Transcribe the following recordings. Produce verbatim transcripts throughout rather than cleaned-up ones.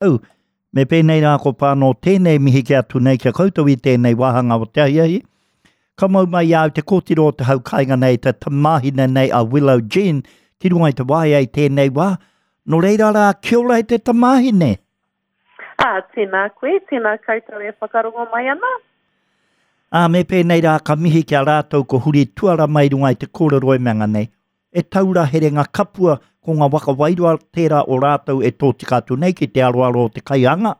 Au, me pēnei rā ko pāno tēnei mihi ki atu nei kia koutou i tēnei wāhanga o te ahiahi. Ka mau mai i au te kōtiro o te hau kāinga nei, te tamāhine nei a Willow Jean, ki runga i te waea i tēnei wā. Nō reira rā, kia ora e te tamāhine. Ā, tēnā koe, tēnā koutou e whakarongo mai ana. Ā, me pēnei rā, ka mihi ki a rātou ko huri tuara mai runga i te kōrero e mea nei. E taura herenga kapua ko ngā waka wairua tērā o rātou e tōtika atu nei ki te aroaro o te kaianga.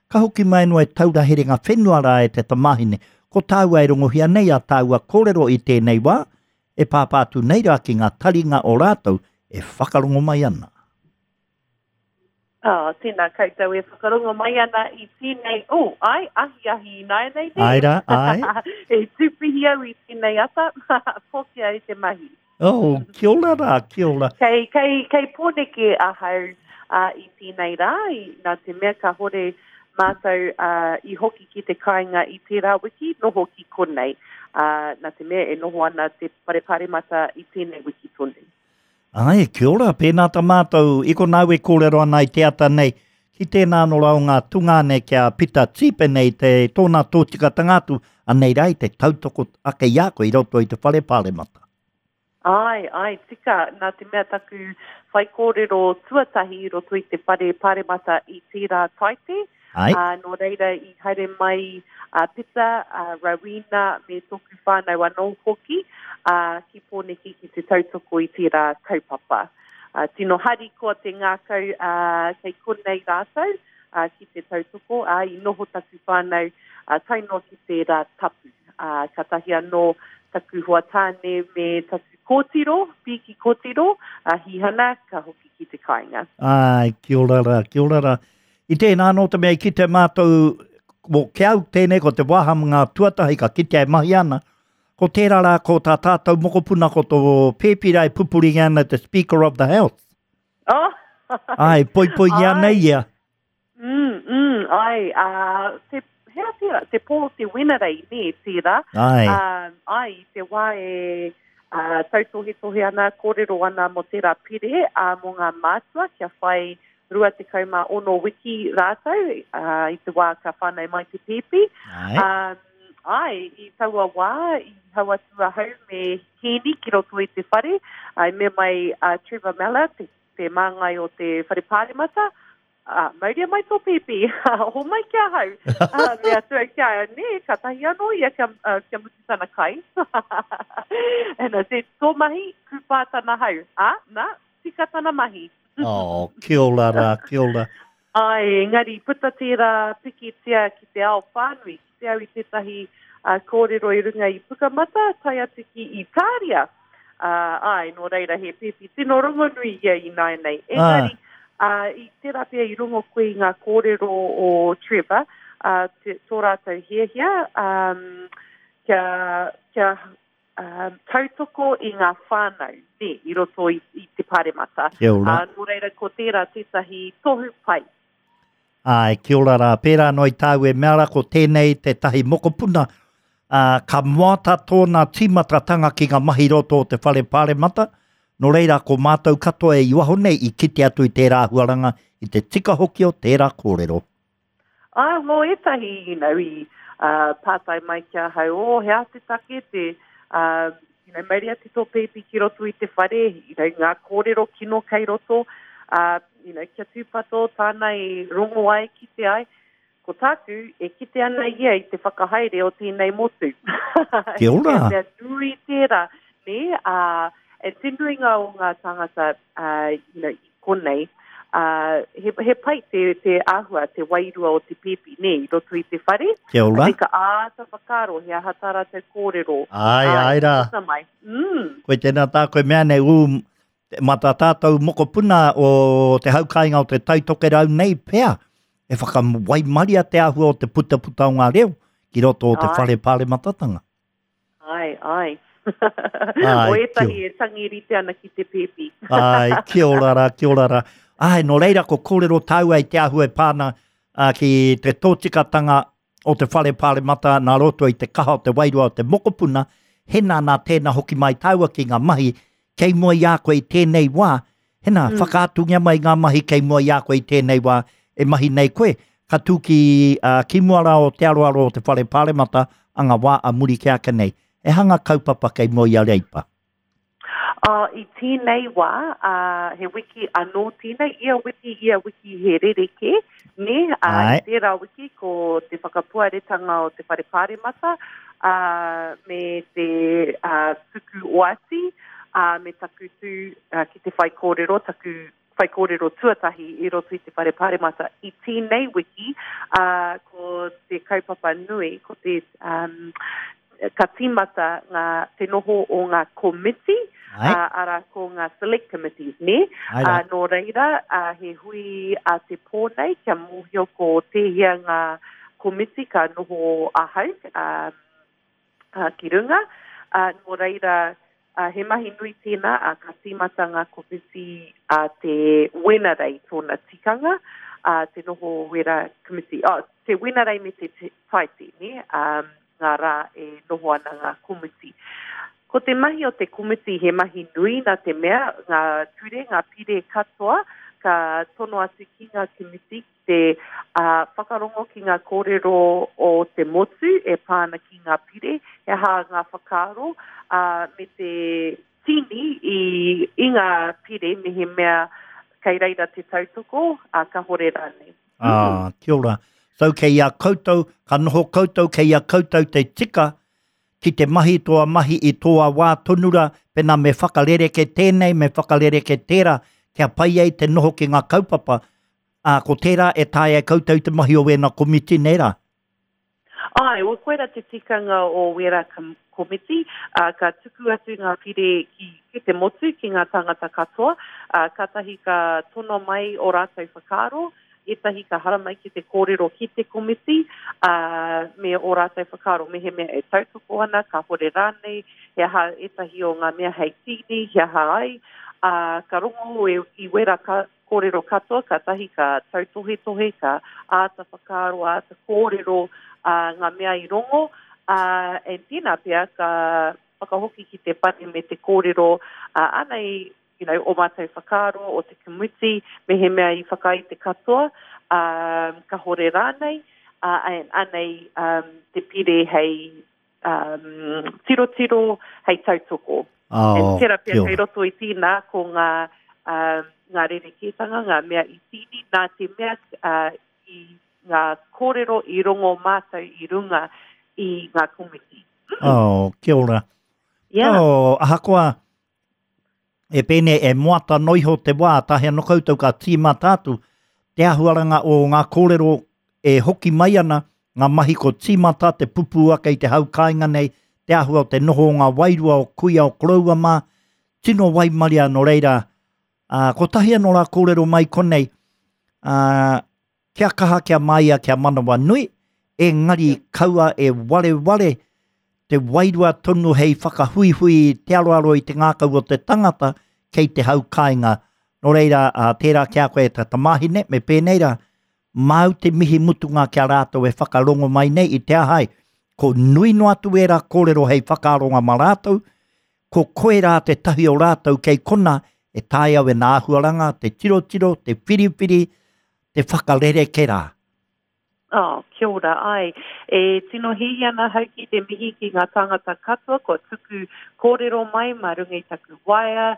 Ka hoki mai noa e taura herenga whenua rā e te tamāhine. Ko tāua e rongohia nei a tāua kōrero i tēnei wā, e pāpā atu nei rā ki ngā taringa o rātou e whakarongo mai ana. Oh, tēnā koutou e whakarongo mai ana i tēnei, oh, ai, ahi ahi ināianei, nē? Ai rā, ai. E tūpihi au i tēnei ata, pokea e te mahi. Oh, kia ora rā, kia ora. Kei, kei, kei Pōneke ahau uh, i tēnei rā, i, nā te mea ka hore mātou uh, i hoki ki te kāinga i tērā wiki, noho ki konei. Uh, nā te mea e noho ana te whare paremata i tēnei wiki tonu. Ai, kia ora, pēnā tā mātou, i konā au e kōrero ana i te ata nei, ki tēnā anō rā o ngā tungāne kia Pita Tīpene i te tōna tōtikatanga atu, anei rā i te tautoko ake i a koe i roto i te whare paremata. Ai, ai, tika, nā te mea taku whaikōrero tuatahi i roto i te whare paremata i tērā taite. Ai. Uh, nō reira i haere mai a Pita, a Rowena me tōku whānau anō hoki uh, ki Pōneke ki te tautoko i tērā kaupapa. Uh, tino harikoa te ngākau uh, kei konei rātou uh, ki te tautoko, uh, i noho taku whānau uh, tae noa ki tērā tapu. Uh, katahi anō taku hoa tāne me taku kōtiro, pīki kōtiro, a Hihana, ka hoki ki te kāinga. Ai, kia ora rā, kia ora rā. I tēnā anō te mea i kite mātou, mo ki au tēnei ko te wāhanga tuatahi ka kitea e mahi ana, ko tērā rā ko tā tātou mokopuna ko tō pēpi rā e pupuringa ana te Speaker of the House. Oh! Ai, poipoingia ana Ai. ia. Mm, mm, ai, uh, te, hea tērā, te pō te Wenerei, nē, tērā. Ai, Um, ai, i te wā e uh, tautohetohe ana, kōrero ana mō tērā pire uh, mō ngā mātua kia whai rua tekau mā ono wiki rātou uh, i te wā ka whānau mai te pēpi. ai, Um, ai, i taua wā, i hau atu ahau me Hēni ki roto i te whare, ai me mai uh, Trevor Mellor, te, te māngai o te whare pāremata, uh, mauria mai tō pēpi, ho mai ki ahau. Uh, me atu au ki a nē, ka tahi anō ia kia, uh, kia mutu tana kai. And I said, tō mahi, kūpā tana hau. Ah, nā, tika tana mahi. Oh, kia ora rā, kia ora. Ai, engari puta tērā pikitia ki te ao whānui, ki te au i tētahi uh, kōrero i runga i Pukamata, tae atu ki Itāria. Uh, ai, nō reira he pēpi tino rongonui ia i nāianei. Engari, uh, i tērā pea i rongo koe i ngā kōrero o Trevor, uh, te, tō rātou hiahia, um, kia, kia um, tautoko i ngā whānau, nē, i roto i, i te paremata. Kia ora. Uh, nō reira, ko tērā tētahi tohu pai. Ai, kia ora rā. Pērā anō i tāu e mea rā ko tēnei tētahi mokopuna, ā, ka moata tōna tīmatatanga ki ngā mahi roto o te whare paremata. Nō reira, ko mātou katoa e i waho nei i kite atu i tērā āhuaranga, i te tika hoki o tērā kōrero. Ai, mō ētahi, you know, i uh, pātai mai ki ahau, oh, he aha te take te, uh, you know, mauria te tō pēpi ki roto i te whare, you know, ngā kōrero kino kei roto, uh, you know, kia tūpato tāna e rongo ai ki te ai. Ko tāku, e kite ana ia i te whakahaere o tēnei motu. Kia ora. He mea nui tērā, nē, uh, e te nuinga o ngā tāngata, uh, you know, i konei, uh, he, he pai te, te āhua, te wairua o te pēpi, nē, i roto i te whare. Kia ora. Ka āta whakaaro, he aha tā rātou kōrero. Ai, ai rā. Puta mai. Mm. Koe tēnā tā koe mea nei, ū, mā tā tātou mokopuna o te haukainga o te Taitokerau nei pea, e whakawaimaria te āhua o te putaputa o ngā reo ki roto o te Ai. whare pārematatanga. Ai, ai. Ai, O ētahi e tangi rite ana ki te pēpi. Ai, kia ora rā, kia ora rā. Ai, nō reira ko kōrero tāua i te āhua e pāna uh, ki te tōtikatanga o te whare pāremata nā roto i te kaha o te wairua o te mokopuna, hena nā tēnā hoki mai tāua ki ngā mahi, kei mua i a koe i tēnei wā, hena mm. whakaatungia mai ngā mahi kei mua i a koe i tēnei wā, e mahi nei koe, ka tū ki, uh, ki mua rā o te aroaro o te whare paremata a ngā wā a muri ki ake nei. E hanga kaupapa kei mua i a Reipa? Uh, i tēnei wā, uh, he wiki anō tēnei, ia wiki, ia wiki he rereke, ne? Uh, i tērā wiki ko te whakapuaretanga o te whare paremata, uh, me te uh, tuku oati, uh, me taku tū uh, ki te whaikōrero, taku whaikōrero tuatahi i roto i te whare paremata. I tēnei wiki, uh, ko te kaupapa nui, ko te um, ka tīmata ngā, te noho o ngā komiti, uh, ara ko ngā select committees, ne? Uh, nō reira, uh, he hui a te pō nei, kia mōhio ko tēhea ngā komiti ka noho ahau uh, uh, ki runga. Uh, nō reira, uh, he mahi nui tēnā, uh, ka tīmata ngā komiti a uh, te Wenerei tōna tikanga, uh, te noho wera komiti, oh, te Wenerei me te Taiti, ne? Um, ngā rā e noho ana ngā komiti. Ko te mahi o te komiti he mahi nui nā te mea, ngā ture, ngā pire katoa, ka tono atu ki ngā komiti ki te uh, whakarongo ki ngā kōrero o te motu e pāna ki ngā pire, he aha ngā whakaaro, uh, me te tini i, i ngā pire me he mea kei reira te tautoko, uh, ka hore rānei. Ah, kia ora. So kei a koutou, ka noho koutou, kei a koutou te tika ki te mahi tōa mahi i tōa wā tonura, pena me whakarereke tēnei, me whakarereke tērā, kia pai ai te noho ki ngā kaupapa. Ā, ko tērā e taea e koutou te mahi o wēna komiti nei rā. Ai, o koera te tikanga o wera komiti, uh, ka tuku atu ngā pire ki, ki te motu, ki ngā tangata katoa, uh, kātahi ka tono mai o rātou whakaaro, ētahi ka haramai ki te kōrero ki te komiti, uh, me o rātou whakaaro, me he mea e tautoko ana, ka hore rānei, he aha ētahi o ngā mea hei tīni, he aha ai, uh, ka rongo e, i wera ka, kōrero katoa, ka tahi ka tautohetohe, ka āta whakaaro, āta kōrero uh, ngā mea i rongo, uh, e tēnā pea ka whakahoki ki te whare me te kōrero, uh, anei, you know, o mātou whakaaro, o te komiti, me he mea i whakai te katoa, um, ka hore rānei, uh, and anei um, te pire hei um, tirotiro, hei tautoko. Oh, and tērā pea kia kei ora. roto i tēnā ko ngā, um, ngā rerekētanga, ngā mea i tīni, nā te mea uh, i ngā kōrero i rongo mātou i runga i ngā komiti. Oh, kia ora. Yeah. Oh, ahakoa, e pēnei e moata noiho te wā, tahi anō koutou ka tīmata atu, te ahuaranga o ngā kōrero e hoki mai ana, ngā mahi ko tīmata te pupu ake i te hau kāinga nei, te ahua o te noho o ngā wairua o kuia o koroua mā, tino waimaria nō reira. Uh, kotahi anō rā kōrero mai konei, uh, kia kaha, kia maia, kia manawa nui, engari kaua e wareware te wairua tonu hei whakahuihui te aroaro i te ngākau o te tangata kei te hau kāinga. Nō reira, uh, tērā kia koe e ta tamahine, me pēnei rā, māu te mihi mutunga kia rātou e whakarongo mai nei i te ahai. Ko nui no atu e rā kōrero hei whakaaronga mā rātou, ko koe rā te tahi o rātou kei kona e taea e nā ahuaranga, te tirotiro, te whiriwhiri, te whakarereke rā. Oh, kia ora, ai. E tino hihi ana hau ki te mihi ki ngā tāngata katoa, ko tuku kōrero mai mā runga i taku waea,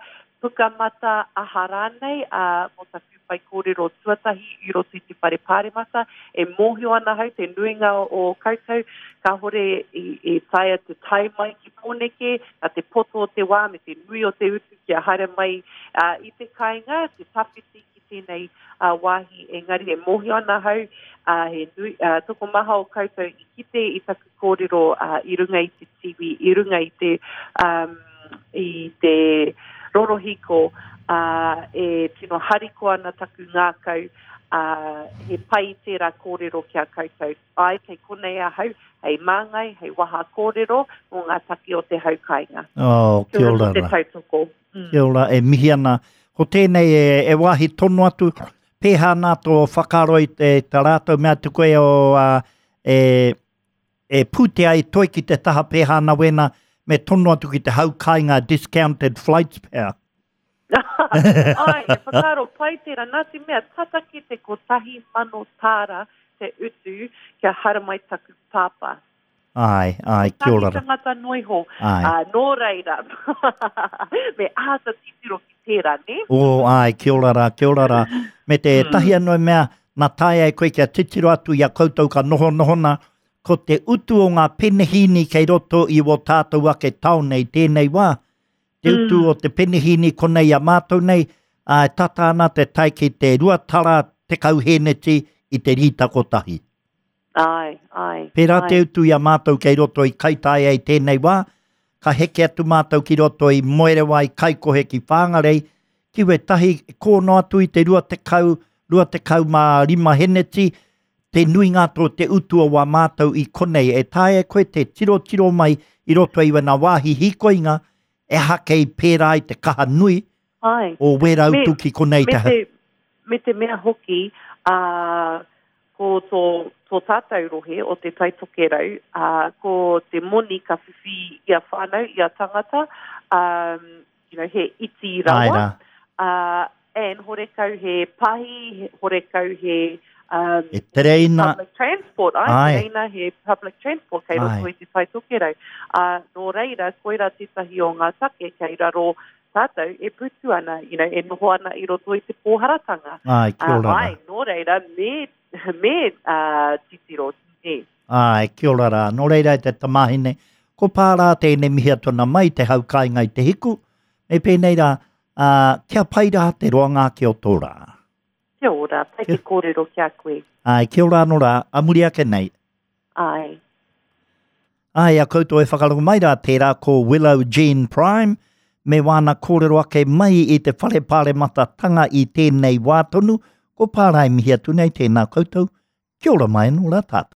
pukamata aha rānei, uh, mō taku whai kōrero tuatahi i roto i te whare paremata. E mōhio ana hau te nuinga o koutou, kāhore i, i taea te tae mai ki Pōneke, a te poto o te wā me te nui o te utu kia haere mai uh, i te kāinga, te tawhiti ki tēnei uh, wāhi, engari e mōhio ana hau, uh, he nui, uh, tokomaha o koutou i kite i taku kōrero uh, i runga i te T V, i runga i te, um, i te rorohiko, uh, e tino hariko ana taku ngākau, uh, he pai tērā kōrero kia koutou. Ai, kei konei ahau, hei māngai, hei waha kōrero mō ngā taki o te hau kāinga. Oh, kia ora Te rā. tautoko. Mm. Kia ora, e mihi ana. Ko tēnei e, e wāhi tono atu, pēhā nā tō whakaaro i te, te rātou mea atu koe o, uh, e, e pūtea i toi ki te taha pēhā nā wena, me tono atu ki te hau kāinga discounted flights pea. Ai, e whakaaro pai tērā, nā te mea, tata ki te kotahi mano tāra te utu kia haramai taku pāpā. Ai, ai, kia ora. Kotahi tangata noa iho. Ai. Uh, nō reira, me āta titiro ki tērā, ne? O, ai, kia ora rā, kia ora rā. Me te Mm. tahi anō mea, nā taea e koe kia titiro atu i a koutou ka noho nohona, ko te utu o ngā penehīni kei roto i wō tātou ake taone i tēnei wā. Te utu Mm. o te penehīni konei a mātou nei, ā, e tata ana te tae ki te rua tara tekau hēneti i te rīta kotahi. Ai, ai. Pērā ai. te utu i a mātou kei roto i Kaitaia i tēnei wā, ka heke atu mātou ki roto i Moerewa i Kaikohe ki Whangarei, ki wetahi kōno atu i te rua tekau, rua tekau mā rima heneti, te nuinga tō te utu o wā mātou i konei. E taea koe te tiro tiro mai i roto i wena wāhi hikoinga, e hake i pērā i te kaha nui Ai. o wera Me- utu ki konei Me te te, me te mea hoki, uh, ko tō, tō tātou rohe o te Tai Tokerau, uh, ko te moni ka whiwhi i a whānau, i a tangata, um, you know, he iti Ai rawa. rā. Uh, and horekau he pahi, horekau he um, E tereina, public transport. Ai, Ai. tereina he public transport kei roto Ai. i te Tai Tokerau. Uh, nō reira, koira tētahi o ngā take kei raro tātou e putu ana, you know, e noho ana i roto i te pōharatanga. ai, kia Uh, ora rā. ai, nō reira, me, me uh, titiro, ne. Ai, kia ora rā. Nō reira e te tamahine, ko pārā tēnei mihi atu ana mai te hau kāinga i te hiku, me pēnei rā, ā, kia pai rā te roanga ake o tō rā. Kia ora, pai te kōrero ki a koe. Ai, kia ora anō rā, a muri ake nei. Ai. Ai, a koutou e whakarongo mai rā, tērā ko Willow Jean Prime, me wāna kōrero ake mai i te whare pārematatanga i tēnei wā tonu, ko pārai mihi atu nei tēnā koutou, kia ora mai anō rā tātou.